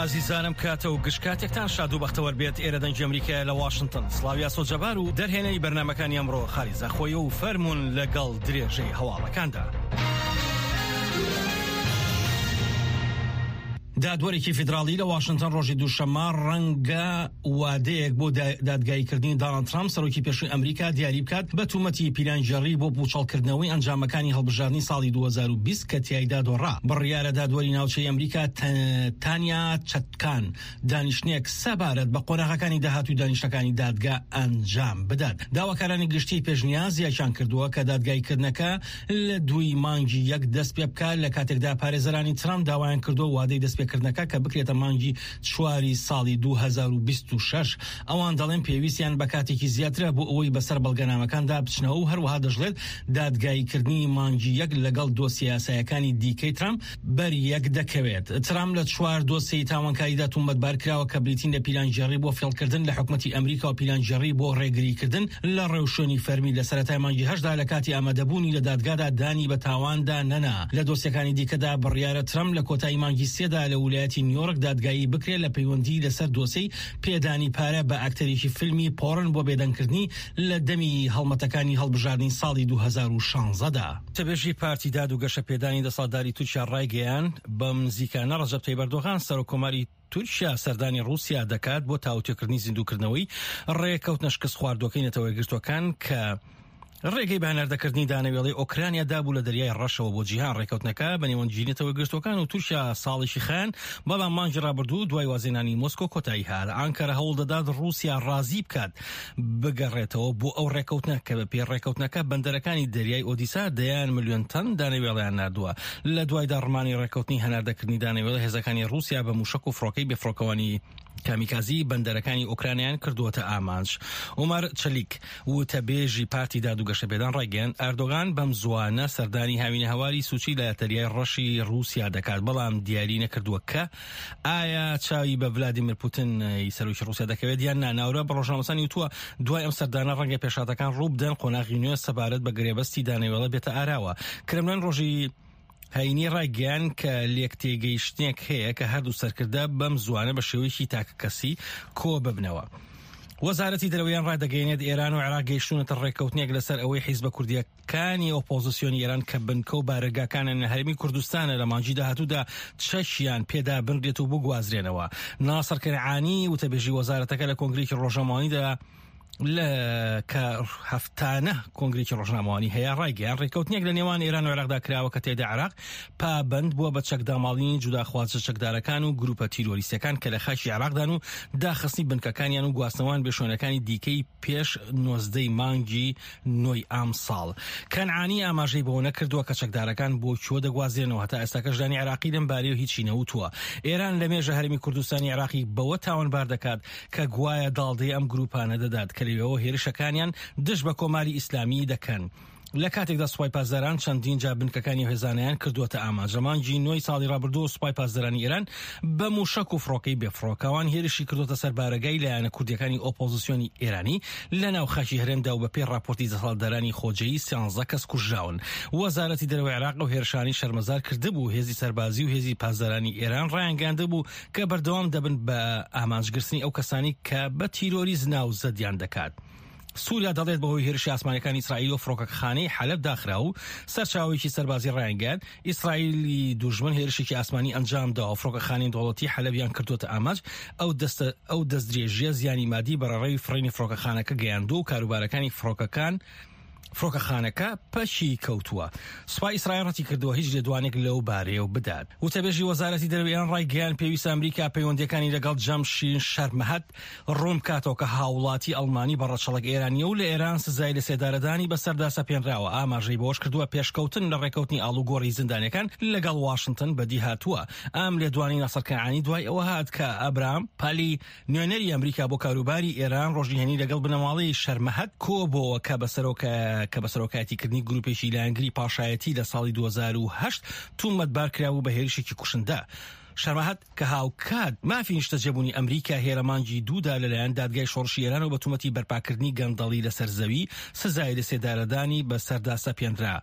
ئازیزانم کاتە و گشت کاتێکتان شاد و بەختەوەر بێت ئێرە دەنگی ئەمریکایە لە واشنتن سڵاو یاسۆ جەبار و دەرهێنەری بەرنامەکانی ئەمڕۆ خالی زاخۆیە و فەرموون لەگەڵ درێژەی هەواڵەکاندا. دادوەرێکی فیدراڵی لە واشنتن ڕۆژی دووشەممە ڕەنگە وادەیەک بۆ دادگاییکردنی داناڵد ترامپ سەرۆکی پێشووی ئەمریکا دیاری بکات بە تومەتی پیلانگێڕی بۆ پوچەڵکردنەوەی ئەنجامەکانی هەڵبژاردنی ساڵی 2020 کە تیایدا دۆڕا. بڕیارە دادوەری ناوچەی ئەمریکا تانیا چەتکان دانیشتنێک سەبارەت بە قۆناغەکانی داهاتووی دانیشتەکانی دادگا ئەنجام بدات. داواکارانی گشتی پێشنیازیان کردووە کە دادگاییکردنەکە لە دووی مانگی یەک دەست پێ بکات، لە کاتێکدا پارێزەرانی ترامپ داوایان کردووە وادەی دەستپێکردنەکە کە بکرێتە مانگی چواری ساڵی 2026. ئەوان دەڵێن پێویستیان بە کاتێکی زیاترە بۆ ئەوەی بەسەر بەڵگەنامەکاندا بچنەوە و هەروەها دەشڵێت دادگاییکردنی مانگی یەک لەگەڵ دۆسیە یاسایەکانی دیکەی ترامپ بەر یەک دەکەوێت. ترامپ لە چوار دۆسیەی تاوانکاریدا تومەتبار کراوە کە بریتین لە پیلانگێڕی بۆ فێڵکردن لە حکومەتی ئەمریکا و پیلانگێڕی بۆ ڕێگریکردن لە ڕێوشوێنی فەرمی لە سەرەتای مانگی هەشتدا لە کاتی ئامادەبوونی لە دادگادا دانی بە تاواندا نەنا. لە دۆسیەکانی دیکەدا بڕیارە ترەمپ لە کۆتایی مانگی سێدا لە ولایەتی نیۆرک دادگایی بکرێت لە پەیوەندی لەسەر دۆسێی پێدانی پارە بە ئەکتەرێکی فیلمی پۆڕن بۆ بێدەنگکردنی لە دەمی هەڵمەتەکانی هەڵبژاردنی ساڵی 2016 دا. وتەبێژی پارتی داد و گەشەپێدانی دەسەڵاتداری تورکیا ڕایگەیاند، بەم نزیکانە ڕەجەب تەیب ئەردۆغان سەرۆککۆماری تورکیا سەردانی ڕووسیا دەکات بۆ تاوتوێکردنی زیندووکردنەوەی ڕێکەوتنە شکستخواردووەکەی نەتەوە یەکگرتووەکان کە ڕێگەی بە هەناردەکردنی دانەوێڵەی ئۆکرانیا دابوو لە دەریای ڕەشەوە بۆ جیهان. ڕێکەوتنەکە بە نێوەندگیری نەتەوە یەکگرتووەکان و تورکیا ساڵێکی خایاند، بەڵام مانگی ڕابردوو دوای وازهێنانی مۆسکۆ کۆتایی هات. ئانکەرە هەوڵدەدات ڕووسیا ڕازی بکات بگەڕێتەوە بۆ ئەو ڕێکەوتنە کە بەپێی ڕێکەوتنەکە بەندەرەکانی دەریای ئۆدیسا دەیان ملیۆن تەن دانەوێڵەیان ناردووە. لە دوای داڕمانی ڕێکەوتنی هەناردەکردنی دانەوێڵە هێزەکانی ڕووسیا بە مووشەک و فڕۆکەی بێفڕۆکەوانی کامیکازی بەندەرەکانی ئۆکرانیان کردووەتە ئامانج. عومەر چەلیک، وتەبێژی پارتی داد و گەشەپێدان ڕایگەیاند، ئەردۆغان بەم زووانە سەردانی هاوینەهەواری سوچی لە دەریای ڕەشی ڕووسیا دەکات، بەڵام دیاری نەکردووە کە ئایا چاوی بە ڤلادیمیر پوتن ی سەرۆکی ڕووسیا دەکەوێت یان نا. ناورا بە ڕۆژنامەنووسانی وتووە، دوای ئەم سەردانە ڕەنگە پێشهاتەکان ڕوو بدەن، قۆناغی نوێ سەبارەت بە گرێبەستی دانەوێڵە بێتە ئاراوە. کرملن ڕۆژی هەینی ڕایگەیاند کە لێکتێگەیشتنێک هەیە کە هەردوو سەرکردە بەم زووانە بە شێوەیەکی تاکەکەسی کۆببنەوە. وەزارەتی دەرەوەیان ڕادەگەیەنێت ئێران و عێراق گەیشتوونەتە ڕێککەوتنێک لەسەر ئەوەی حیزبە کوردییەکانی ئۆپۆزسیۆنی ئێران کە بنکە و بارەگاکانیان لە هەرێمی کوردستانە لە مانگی داهاتوودا چەکیان پێدا بنرێت و بگوازرێنەوە. ناسڕ کەنعانی وتەبێژی وەزارەتەکە لە کۆنگرێکی ڕۆژنامەوانیدا لە کە هەفتانە کۆنگرێکی ڕۆژنامەوانی هەیە ڕایگەیان ڕێککەوتنێک لە نێوان ئێران و عێراقدا کراوە کە تێدا عێراق پابەند بووە بە چەکداماڵینی جوداخوازە چەکدارەکان و گروپە تیرۆریستەکان کە لە خاکی عێراقدان و داخستنی بنکەکانیان و گواستنەوەیان بێ شوێنەکانی دیکەی پێش نۆزدەی مانگی نۆی ئەمساڵ. کەنعانی ئاماژەی بەوە نەکردووە کە چەکدارەکان بۆ کوێ دەگوازرێنەوە، هەتا ئێستاکەش لایەنی عێراقی لەم بارەیەوە هیچی نەوتووە. ئێران لەمێژە هەرێمی کوردستانی عێراقی بەوە تاوانبار دەکات کە گوایە داڵدەی ئەم گرووپانە دەدات کە لەوێوە هێرشەکانیان دژ بە کۆماری ئیسلامی دەکەن. لە کاتێکدا سوپای پاسداران چەندین جار بنکەکانی ئەو هێزانەیان کردووەتە ئامانج. لە مانگی نۆی ساڵی ڕابردووە سوپای پاسدارانی ئێران بە مووشەک و فڕۆکەی بێفڕۆکەوان هێرشی کردووەتە سەر بارەگای لایەنە کوردییەکانی ئۆپۆزسیۆنی ئێرانی لە ناو خاکی هەرێمدا و بەپێی ڕاپۆرتی دەسەڵاتدارانی خۆجێیی سیانزە کەس کوژراون. وەزارەتی دەرەوەی عێراق ئەو هێرشانەی شەرمەزار کردبوو، هێزی سەربازی و هێزی پاسدارانی ئێران ڕایانگەیاندبوو کە بەردەوام دەبن بە ئامانجگرتنی ئەو کەسانەی کە بە تیرۆریست ناوزەدیان دەکات. سوریا دەڵێت بەهۆی هێرشی ئاسمانیەکانی ئیسرائیلەوە فڕۆکەخانەی حەلەب داخرا و سەرچاوەیەکی سەربازی ڕایانگەیاند ئیسرائیلی دوژمن هێرشێکی ئاسمانی ئەنجام داوە فڕۆکەخانەی دەوڵەتی حەلەبیان کردووەتە ئامانج ئەو دەستە ئەو دەستدرێژیە زیانی مادی بە ڕێڕەوی فڕینی فڕۆکەخانەکە گەیاندووە و کاروبارەکانی فڕۆکەکان فڕۆکەخانەکە پەکی کەوتووە. سوپای ئیسرائیل ڕەتیکردەوە هیچ لێدوانێک لەو بارەیەوە بدات. وتەبێژی وەزارەتی دەرەوەی ئێران ڕایگەیاند، پێویستە ئەمریکا پەیوەندییەکانی لەگەڵ جەمشید شەرمەهد ڕوون بکاتەوە کە هاوڵاتی ئەڵمانی بە ڕەچەڵەک ئێرانییە و لە ئێران سزای لەسێدارەدانی بەسەردا سەپێنراوە. ئاماژەی بەوەشکردووە، پێشکەوتن لە ڕێککەوتنی ئاڵوگۆڕی زیندانییەکان لەگەڵ واشنتن بەدیهاتووە. ئەم لێدوانەی ناسڕ کەنعانی دوای ئەوە هات کە ئەبرام پالی، نوێنەری ئەمریکا بۆ کاروباری ئێران ڕۆژی هەینی لەگەڵ بنەماڵەی شەرمەهەد کۆبۆوە کە بە کە بە سەرۆکایەتیکردنی گروپێکی لایەنگری پاشایەتی لە ساڵی 2008 تومەتبار کرابوو بە هێرشێکی کوشندە. شەرمەهەد کە هاوکات مافی نیشتەجێبوونی ئەمریکا هەیە لە مانگی دوودا لەلایەن دادگای شۆڕشی ئێرانەوە بە تومەتی بەرپاکردنی گەندەڵی لەسەر زەوی سزای لەسێدارەدانی بەسەردا سەپێنرا.